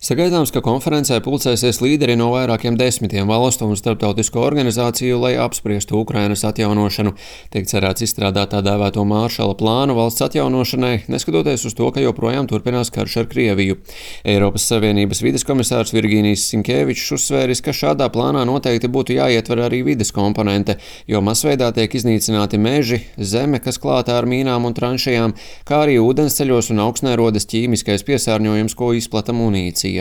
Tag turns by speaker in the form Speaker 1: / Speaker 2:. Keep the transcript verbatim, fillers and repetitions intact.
Speaker 1: Sagaidāms, ka konferencē pulcēsies līderi no vairākiem desmitiem valstu un starptautisko organizāciju, lai apspriestu Ukrainas atjaunošanu. Tiek cerēts izstrādāt tā dēvēto Māršala plānu valsts atjaunošanai, neskatoties uz to, ka joprojām turpinās karš ar Krieviju. Eiropas Savienības vides komisārs Virginijs Sinkevičs uzsvēris, ka šādā plānā noteikti būtu jāietver arī vides komponente, jo masveidā tiek iznīcināti meži, zeme, kas klāta ar mīnām un tranšajām, kā arī ūdensceļos un augstnē rodas ķīmiskais piesārņojums, ko izplata munīcija.